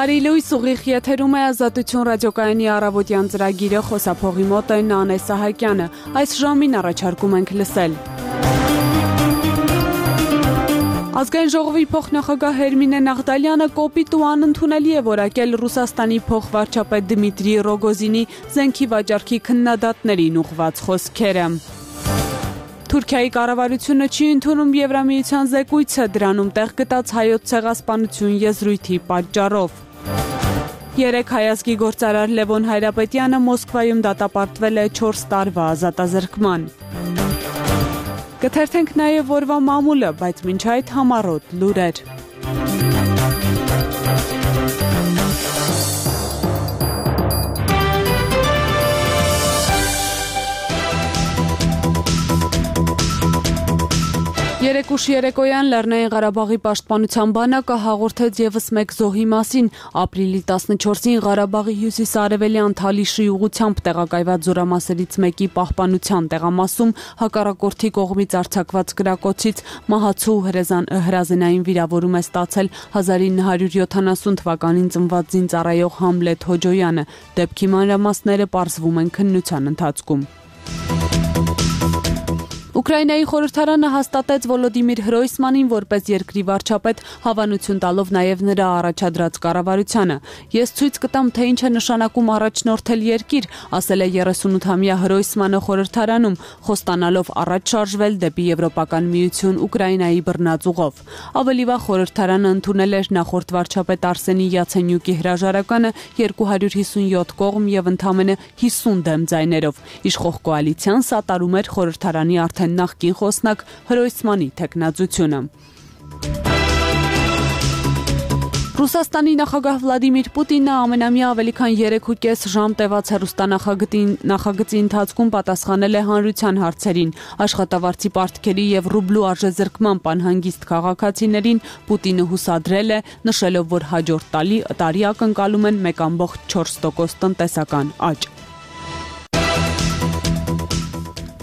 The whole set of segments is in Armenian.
Բարի լույս, ուղիղ եթերում է Ազատություն ռադիոկայանի առավոտյան ծրագիրը, խոսափողի մոտ է Նանե Սահակյանը։ Այս ժամին առաջարկում ենք լսել. Ազգային ժողովի փոխնախագահ Հերմինե Նաղդալյանը կոպիտ ու անընդունելի է որակել Ռուսաստանի փոխվարչապետ Դմիտրի Ռոգոզինի զենքի վաճառքի քննադատներին ուղղված խոսքերը։ Թուրքիայի կառավարությունը չի ընդունում Եվրամիության զեկույցը, դրանում տեղ գտած հայոց ցեղասպանություն եզրույթի պատճառով։ 3 հայազգի գործարար Լևոն Հայրապետյանը Մոսկվայում դատապարտվել է 4 տարվա ազատազրկման։ Կթերթենք նաև օրվա մամուլը, բայց մինչ այդ համառոտ լուրեր։ Երեկուշ երեկոյան Լեռնային Ղարաբաղի պաշտպանության բանակը հաղորդեց ևս մեկ զոհի մասին։ Ապրիլի 14-ին Ղարաբաղի հյուսիս-արևելյան Թալիշի ուղղությամբ տեղակայված զորամասերից մեկի պահպանության տեղամասում հակառակորդի կողմից արձակված կրակոցից մահացու հրազենային վիրավորում է ստացել 1970 թվականին ծնված զինծառայող Համլետ Հոջոյանը։ Դեպքի մանրամասները պարզվում են քննության ընթացքում։ Ուկրաինայի խորհրդարանը հաստատեց Վոլոդիմիր Հրոյսմանին որպես երկրի վարչապետ, հավանություն տալով նաև նրա առաջադրած կառավարությանը։ Ես ցույց կտամ, թե ինչ է նշանակում առաջնորդել երկիր, ասել է 38-ամյա Հրոյսմանը խորհրդարանում, խոստանալով առաջ շարժվել դեպի Եվրոպական միություն Ուկրաինայի բռնածուղով։ Ավելի վաղ խորհրդարանը ընդունել էր նախորդ վարչապետ Արսենի Յացենյուկի հրաժարականը 257 կողմ եւ ընդամենը 50 դեմ ձայներով։ Իշխող կոալիցիան սատարում էր խորհրդարանի արդեն նախկին խոսնակ Հրոյսմանի թեկնածությունը։ Ռուսաստանի նախագահ Վլադիմիր Պուտինը ամենամյա ավելի քան 3.5 ժամ տևած հեռուստանախագծի ընթացքում պատասխանել է հանրության հարցերին։ Աշխատավարձի պարտքերի եւ ռուբլու արժեզրկման պանհանգիստ քաղաքացիներին Պուտինը հուսադրել է, նշելով, որ հաջորդ տարի ակնկալում են 1.4% տնտեսական աճ։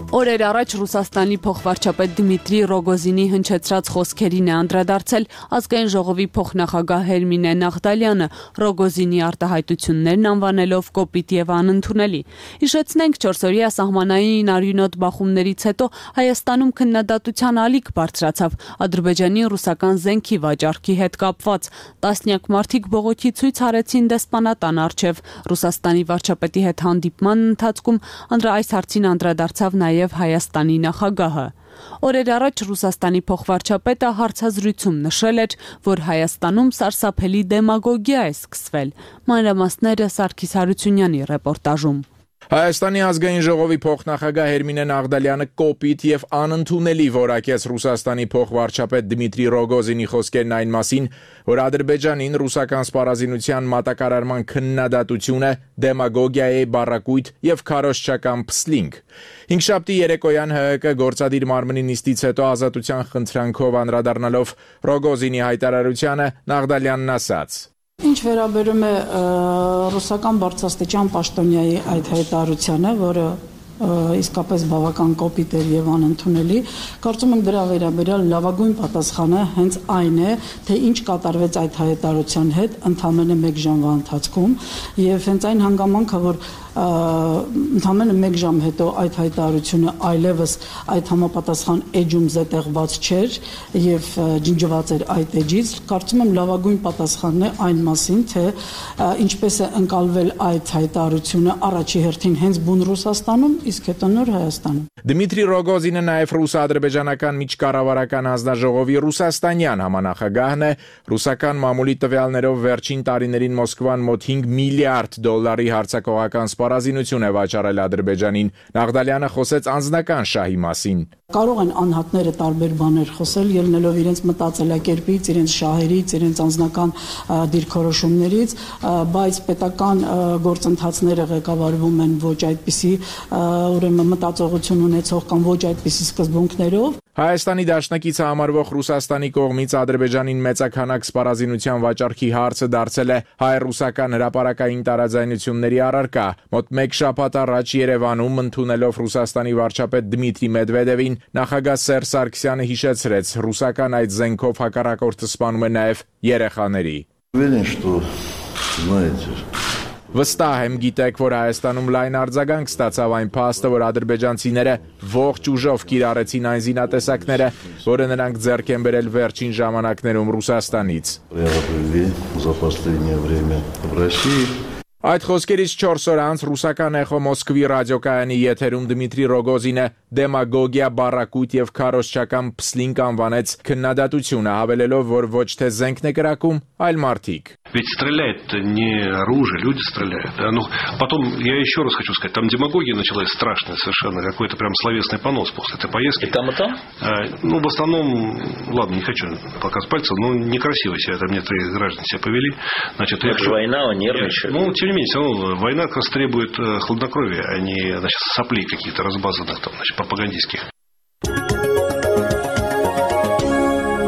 Օրեր առաջ Ռուսաստանի փոխվարչապետ Դմիտրի Ռոգոզինի հնչեցրած խոսքերին է անդրադարձել Ազգային ժողովի փոխնախագահ Հերմինե Նաղդալյանը, Ռոգոզինի արտահայտություններն անվանելով կոպիտ եւ անընդունելի։ Հիշեցնենք 4-օրյա սահմանային արյունոտ բախումներից հետո Հայաստանում քննադատության ալիք բարձրացավ Ադրբեջանի ռուսական զենքի վաճառքի հետ կապված։ Տասնյակ մարդիկ բողոքի ցույց արեցին դեսպանատան առջև։ Ռուսաստանի վարչապետի հետ հանդիպման ընթացքում այս հարցին անդրադարձավ նաև Հայաստանի նախագահը։ Օրեր առաջ Ռուսաստանի փոխվարչապետը հարցազրույցում նշել էր, որ Հայաստանում սարսափելի դեմագոգիա է սկսվել։ Մանրամասները Սարգիս Հարությունյանի ռեպորտաժում։ Հայաստանի ազգային ժողովի փոխնախագահ Հերմինե Նաղդալյանը կոպիտ եւ անընդունելի որակեց Ռուսաստանի փոխվարչապետ Դմիտրի Ռոգոզինի խոսքերն այն մասին, որ Ադրբեջանին ռուսական սպառազինության մատակարարման քննադատությունը դեմագոգիա է, բառակույտ եւ քարոզչական փսլինգ։ Հինգշաբթի երեկոյան ՀՀԿ գործադիր մարմնի նիստից հետո ազատության խնդրանքով անդրադառնալով Ռոգոզինի հայտարարությանը Նաղդալյանն ասաց. Ինչ վերաբերում է ռուսական բարձրաստիճան պաշտոնյայի այդ հայտարարությանը, որը իսկապես բավական կոպիտ էր եւ անընդունելի, կարծում եմ դրա վերաբերյալ լավագույն պատասխանը հենց այն է, թե ինչ կատարվեց այդ հայտարարության հետ ընդամենը 1 ժամվա ընթացքում եւ հենց այն հանգամանքը, որ ընդամենը 1 ժամ հետո այդ հայտարարությունը այլևս այդ համապատասխան էջում զետեղված չէր եւ ջնջված էր այդ էջից, կարծում եմ լավագույն պատասխանն է այն մասին, թե ինչպես է ընկալվել այդ հայտարարությունը առաջի հերթին հենց բուն Ռուսաստանում, իսկ հետո նոր Հայաստանում։ Դմիտրի Ռոգոզինը նաև ռուս-ադրբեջանական միջկառավարական հանձնաժողովի ռուսաստանյան համանախագահն է, ռուսական մամուլի տվյալներով վերջին տարիներին Մոսկվան մոտ $5 միլիարդ հարձակողական սպառազինություն է վաճառել Ադրբեջանին։ Նաղդալյանը խոսեց անձնական շահի մասին։ Կարող են անհատները տարբեր բաներ խոսել, ելնելով իրենց մտածելակերպից, իրենց շահերից, իրենց անձնական դիրքորոշումներից, բայց պետական գործընթացները ղեկավարվում են ոչ այդպիսի ուրեմն մտածողություն ունեցող կամ ոչ այդպիսի սկզբունքներով։ Հայաստանի դաշնակիցը համարվող Ռուսաստանի կողմից Ադրբեջանին մեծաքանակ սպառազինության վաճառքի հարցը դարձել է հայ-ռուսական հրապարակային տարաձայնությունների առարկա։ Մոտ 1 շաբաթ առաջ Երևանում ընդունելով Ռուսաստանի վարչապետ Դմիտրի Մեդվեդևին, նախագահ Սերժ Սարգսյանը հիշեցրեց, ռուսական այդ զենքով հակառակորդը սպանում է նաև երեխաների։ Уверен, что Знаете. Վստահ եմ գիտեք, որ Հայաստանում լայն արձագանք ստացավ այն փաստը, որ ադրբեջանցիները ողջ ուժով կիրառեցին այն զինատեսակները, որը նրանք ձեռք են բերել վերջին ժամանակներում Ռուսաստանից։ За последнее время в России. Այդ խոսքերից 4 օր անց ռուսական Էխո Մոսկվի ռադիոկայանի եթերում Դմիտրի Ռոգոզինը դեմագոգիա, բառակույտ եւ քարոզչական փսլինկ անվանեց քննադատությունը, հավելելով, որ ոչ թե զենքն է կրակում, այլ մարդիկ։ Ведь стреляет не оружие, люди стреляют. Да? Ну, потом, я еще раз хочу сказать, там демагогия началась страшная совершенно, какой-то прям словесный понос после этой поездки. И там, и там? Ну, в основном, ладно, не хочу показывать пальцем, но некрасиво себя там некоторые граждане себя повели. Значит, это же война, он нервничает. Ну, тем не менее, все равно война как раз требует хладнокровия, а не, значит, соплей каких-то разбазанных, там, значит, пропагандистских.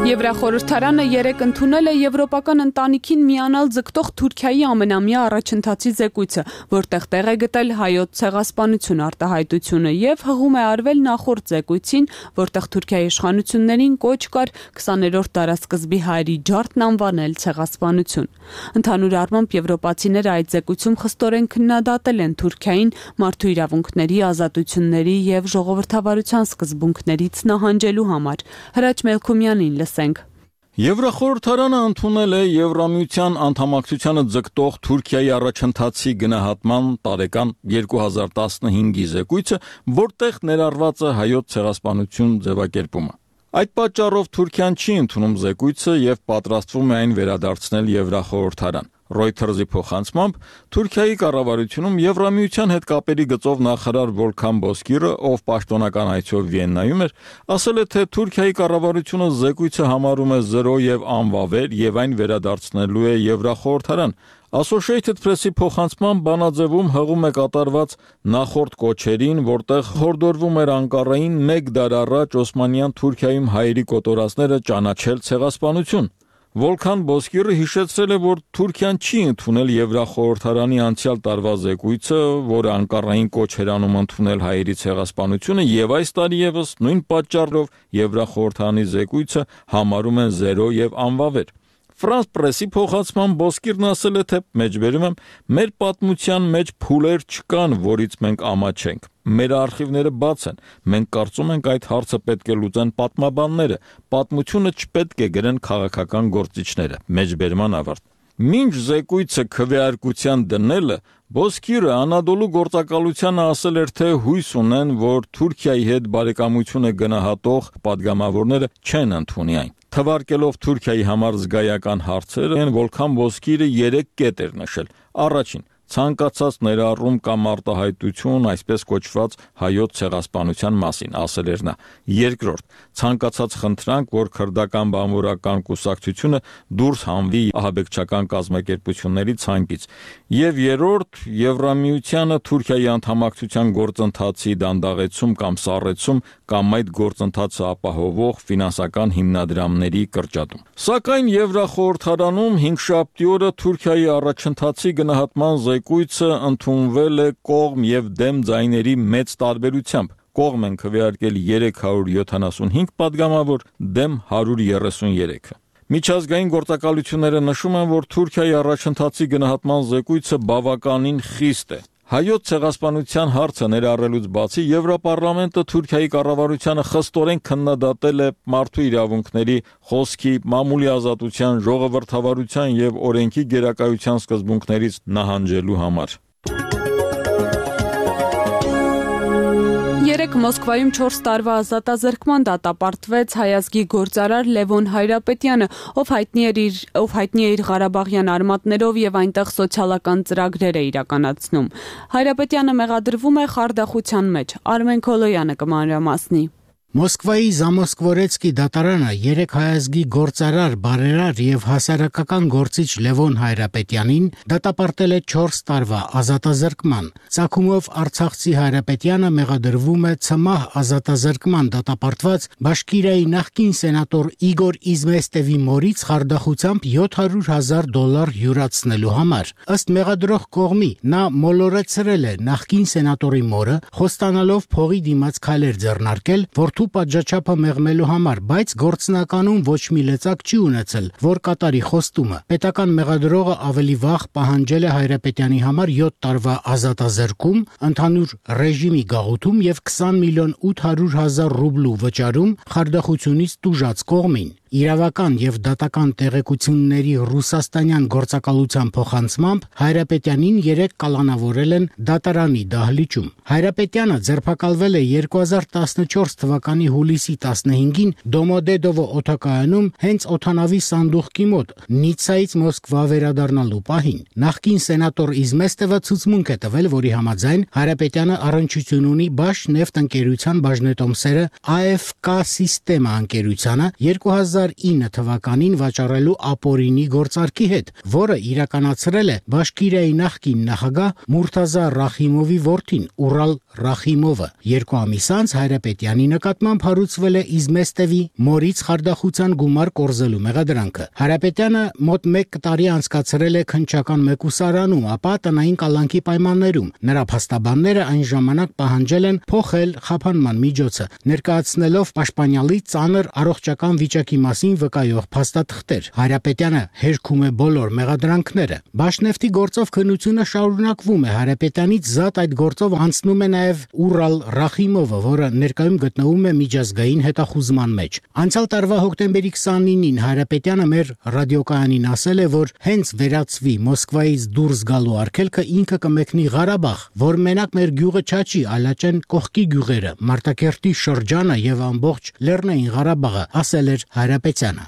Եվրախորհրդարանը երեկ ընդունել է եվրոպական ընտանիքին միանալ ձգտող Թուրքիայի ամենամյա առաջընթացի զեկույցը, որտեղ տեղ է գտել հայոց ցեղասպանություն արտահայտությունը եւ հղում է արվել նախորդ զեկույցին, որտեղ Թուրքիայի իշխանություններին կոչ կար 20-րդ դարաշրջանի հայերի ջարդն անվանել ցեղասպանություն։ Ընդհանուր առմամբ եվրոպացիները այդ զեկույցում խստորեն քննադատել են Թուրքիային մարդու իրավունքների, ազատությունների եւ ժողովրդավարության սկզբունքներից նահանջելու համար։ Հրաչ Մելքումյանին լսենք։ Եվրախորհրդարանը ընդունել է Եվրամիության անդամակցությանը ձգտող Թուրքիայի առաջընթացի գնահատման տարեկան 2015-ի զեկույցը, որտեղ ներառված է հայոց ցեղասպանություն ձևակերպումը։ Այդ պատճառով Թուրքիան չի ընդունում զեկույցը եւ պատրաստվում է այն վերադարձնել Եվրախորհրդարան։ Reuters-ի փոխանցմամբ Թուրքիայի կառավարությունում Եվրամիության հետ կապերի գծով նախարար Վոլքան Բոսկիրը, ով պաշտոնական այցով Վիեննայում էր, ասել է, թե Թուրքիայի կառավարությունը զեկույցը համարում է զրո եւ անվավեր եւ այն վերադարձնելու է Եվրախորհրդարան։ Associated Press-ի փոխանցմամբ բանաձևում հղում է կատարված նախորդ կոչերին, որտեղ հորդորվում էր Անկարային 1 դար առաջ Օսմանյան Թուրքիայում հայերի կոտորածները ճանաչել ցեղասպանություն։ Վոլքան Բոսկիրը հիշեցրել է, որ Թուրքիան չի ընդունել Եվրախորհրդարանի անցյալ տարվա զեկույցը, որը Անկարային կոչ էր անում ընդունել հայերի ցեղասպանությունը, եւ այս տարի եւս նույն պատճառով Եվրախորհրդարանի զեկույցը համարում են զերո եւ անվավեր։ France Press-ի փոխանցման Բոսկիրն ասել է, թե մեջբերում եմ, մեր պատմության մեջ փուլեր չկան, որից մենք ամաչենք։ Մեր արխիվները բաց են։ Մենք կարծում ենք այդ հարցը պետք է լուծեն պատմաբանները։ Պատմությունը չպետք է գրեն քաղաքական գործիչները։ Մեջբերման ավարտ։ Մինչ զեկույցը քվեարկության դնելը Բոսկիրը Անադոլու գործակալությանը ասել էր, թե հույս ունեն, որ Թուրքիայի հետ բարեկամությունը գնահատող պատգամավորները չեն ընդունի այն։ Թվարկելով Թուրքիայի համար զգայական հարցերը, Վոլքան Բոսկիրը 3 կետ էր նշել։ Առաջին, ցանկացած ներառում կամ արտահայտություն, այսպես կոչված հայոց ցեղասպանության մասին, ասել էր նա։ Երկրորդ, ցանկացած խնդրանք, որ քրդական բանվորական կուսակցությունը դուրս հանվի ահաբեկչական կազմակերպությունների ցանկից։ Եվ երրորդ, Եվրամիությանը Թուրքիայի անդամակցության գործընթացի դանդաղեցում կամ սառեցում կամ այդ գործընթացը ապահովող ֆինանսական հիմնադրամների կրճատում։ Սակայն Եվրախորհրդարանում 5-շաբթի օրը Թուրքիայի առաջընթացի գնահատման զեկույցը ընդունվել է կողմ եւ դեմ ձայների մեծ տարբերությամբ։ Կողմ են քվեարկել 375 պատգամավոր, դեմ 133-ը։ Միջազգային գործակալությունները նշում են, որ Թուրքիայի առաջընթացի գնահատման զեկույցը բավականին խիստ է։ Հայոց ցեղասպանության հարցը ներառելուց բացի Եվրոպարլամենտը Թուրքիայի կառավարությանը խստորեն քննադատել է մարդու իրավունքների, խոսքի, մամուլի ազատության, ժողովրդավարության եւ օրենքի գերակայության սկզբունքներից նահանջելու համար։ Երեկ Մոսկվայում 4 տարվա ազատազրկման դատապարտվեց հայազգի գործարար Լևոն Հայրապետյանը, ով հայտնի է իր Ղարաբաղյան արմատներով եւ այնտեղ սոցիալական ծրագրեր է իրականացնում։ Հայրապետյանը մեղադրվում է խարդախության մեջ։ Արմեն Քոլոյանը կմանրամասնի։ Մոսկվայի Զամոսկվորեցկի դատարանը 3 հայազգի գործարար, բարերար եւ հասարակական գործիչ Լևոն Հայրապետյանին դատապարտել է 4 տարվա ազատազրկման։ Ցակումով Արցախցի Հայրապետյանը մեղադրվում է ցմահ ազատազրկման դատապարտված Բաշկիրիայի նախկին սենատոր Իգոր Իզմեստևի մորից խարդախությամբ $700,000 յուրացնելու համար։ Ըստ մեղադրող կողմի նա մոլորեցրել է նախկին սենատորի մորը, խոստանալով փողի դիմաց քայլեր ձեռնարկել, որ մարդու պատժաչափը մեղմելու համար, բայց գործնականում ոչ մի լծակ չի ունեցել, որ կատարի խոստումը։ Պետական մեղադրողը ավելի վաղ պահանջել է Հայրապետյանի համար 7 տարվա ազատազրկում, ընդհանուր ռեժիմի գաղութում եւ 20 միլիոն 800 հազար ռուբլու վճարում խարդախությունից տուժած կողմին։ Իրավական եւ դատական տեղեկությունների ռուսաստանյան գործակալության փոխանցմամբ Հայրապետյանին 3 կալանավորել են դատարանի դահլիճում։ Հայրապետյանը ձերբակալվել է 2014 թվականի հուլիսի 15-ին Դոմոդեդովո օդակայանում հենց օդանավի սանդուղքի մոտ Նիցայից Մոսկվա վերադառնալու պահին։ Նախկին սենատոր Իզմեստևը ցուցմունք է տվել, որի համաձայն Հայրապետյանը առնչություն ունի Բաշնեֆտ ընկերության բաժնետոմսերը AFK Sistema ընկերությանը 2009 թվականին վաճառելու ապօրինի գործարքի հետ, որը իրականացրել է Բաշկիրիայի նախկին նախագահ Մուրթազա Ռախիմովի որդին Ուրալ Ռախիմովը։ 2 ամիս անց Հայրապետյանի նկատմամբ հարուցվել է Իզմեստևի մորից խարդախության գումար կորզելու մեղադրանքը։ Հայրապետյանը մոտ 1 տարի անցկացրել է քննչական մեկուսարանում, ապա տնային կալանքի պայմաններում։ Նրա փաստաբանները այն ժամանակ պահանջել են փոխել խափանման միջոցը, ներկայացնելով պաշտպանյալի ծանր առողջական վիճակի մասին վկայող փաստաթղթեր։ Հայրապետյանը հերքում է բոլոր մեղադրանքները։ Բաշնեֆտի գործով քննությունը շարունակվում է։ Հայրապետյանից զատ այդ գործով անցնում է նաև Ուրալ Ռախիմովը, որը ներկայում գտնվում է միջազգային հետախուզման մեջ։ Անցյալ տարվա հոկտեմբերի 29-ին Հայրապետյանը մեր ռադիոկայանին ասել է, որ հենց վերացվի Մոսկվայից դուրս գալու արգելքը ինքը կմեկնի Ղարաբաղ, որ մենակ մեր գյուղը չաչի, այլաճեն կողքի գյուղերը, Մարտակերտի շրջանը եւ ամբողջ Լեռնային Ղարաբաղը, ասել էր Հայրապետյանը։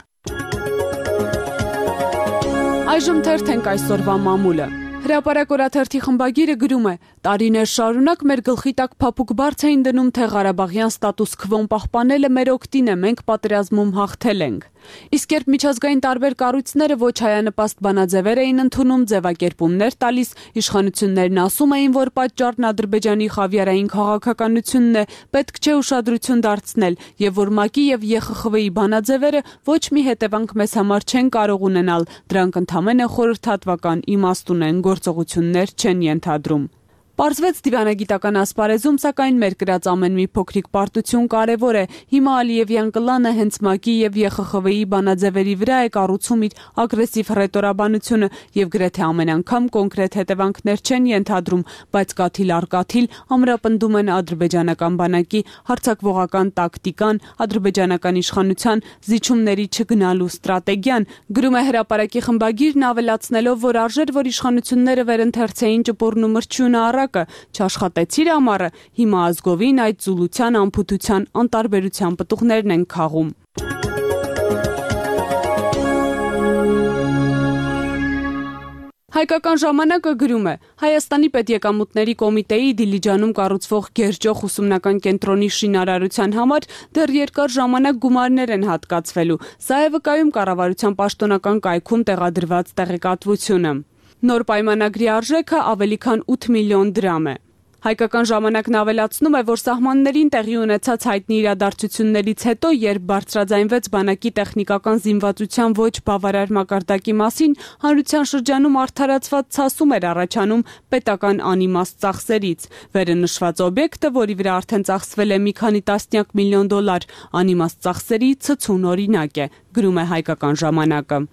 Այժմ թերթենք այսօրվա մամուլը։ Հրապարակ օրաթերթի խմբագիրը գրում է. տարիներ շարունակ մեր գլխի տակ փափուկ բարձ էին դնում, թե Ղարաբաղյան ստատուս քվոն պահպանելը մեր օգտին է, մենք պատերազմում հաղթել ենք։ Իսկ երբ միջազգային տարբեր կառույցները ոչ հայանպաստ բանաձևեր էին ընդունում, ձևակերպումներ տալիս, իշխանություններն ասում էին, որ պատճառն Ադրբեջանի խավիարային քաղաքականությունն է, պետք չէ ուշադրություն դարձնել, եւ որ ՄԱԿ-ի եւ ԵԽԽՎ-ի բանաձևերը ոչ մի հետևանք մեզ համար չեն կարող ունենալ, դրանք ընդամենը խորհրդատվական իմաստ ունեն, գործողություններ չեն ենթադրում։ Պարզվեց դիվանագիտական ասպարեզում, սակայն մեր կրած ամեն մի փոքրիկ պարտություն կարևոր է։ Հիմա Ալիևյան կլանը հենց ՄԱԿ-ի եւ ԵԽԽՎ-ի բանաձևերի վրա է կառուցում իր ագրեսիվ ռետորաբանությունը եւ գրեթե ամեն անգամ կոնկրետ հետևանքներ չեն ենթադրում, բայց կաթիլ առ կաթիլ ամրապնդում են ադրբեջանական բանակի հարձակվողական տակտիկան, ադրբեջանական իշխանության զիջումների չգնալու ստրատեգիան։ Գրում է Հրապարակի խմբագիրն ավելացնելով, որ արժեր, որ իշխանությունները վերընթերցեին ճպուրն ու մրջյունը չաշխատեցիր ամառը, հիմա ազգովին այդ զուլության, անփութության, անտարբերության պտուղներն են քաղում։ Հայկական ժամանակը գրում է. Հայաստանի պետեկամուտների կոմիտեի Դիլիջանում կառուցվող Գերջոխ ուսումնական կենտրոնի շինարարության համար դեռ երկար ժամանակ գումարներ են հատկացվելու։ Սա է վկայում կառավարության պաշտոնական կայքում տեղադրված տեղեկատվությունը։ Նոր պայմանագրի արժեքը ավելի քան 8 միլիոն դրամ է։ Հայկական ժամանակն ավելացնում է, որ սահմաններին տեղի ունեցած հայտնի իրադարձություններից հետո, երբ բարձրաձայնվեց բանակի տեխնիկական զինվածության ոչ բավարար մակարդակի մասին, հանրության շրջանում արդարացված ցասում էր առաջանում պետական անիմաստ ծախսերից։ Վերը նշված օբյեկտը, որի վրա արդեն ծախսվել է մի քանի տասնյակ միլիոն դոլար, անիմաստ ծախսերի ցցուն օրինակ է, գրում է Հայկական ժամանակը։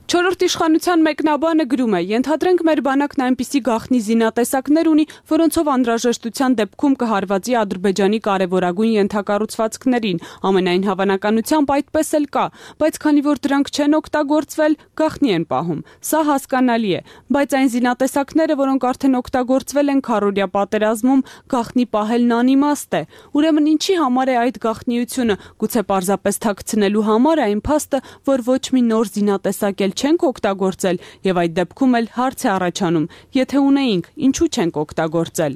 Չորրորդ իշխանության մեկնաբանը գրում է. ենթադրենք մեր բանակն այնպիսի գաղտնի զինատեսակներ ունի, որոնցով անհրաժեշտության դեպքում կհարվածի Ադրբեջանի կարևորագույն ենթակառուցվածքներին, ամենայն հավանականությամբ այդպես էլ կա, բայց քանի որ դրանք չեն օգտագործվել, գաղտնի են պահում։ Սա հասկանալի է, բայց այն զինատեսակները, որոնք արդեն օգտագործվել են քառօրյա պատերազմում, գաղտնի պահելն անիմաստ է։ Ուրեմն ինչի համար է այդ գաղտնիությունը, գուցե պարզապես թաքցնելու համար է այն փաստը, որ ոչ մի նոր զինատեսակ էլ չենք օգտագործել եւ այդ դեպքում էլ հարց է առաջանում. եթե ունեինք, ինչու չենք օգտագործել։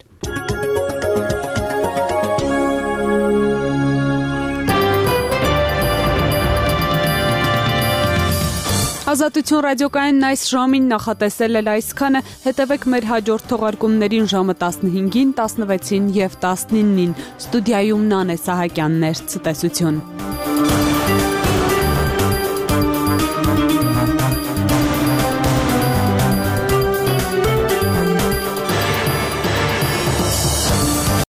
Ազատություն ռադիոկայանն այս ժամին նախատեսել էր այսքանը, հետևեք մեր հաջորդ թողարկումներին ժամը 15-ին, 16-ին եւ 19-ին։ Ստուդիայում Նանե Սահակյանն էր, ցտեսություն։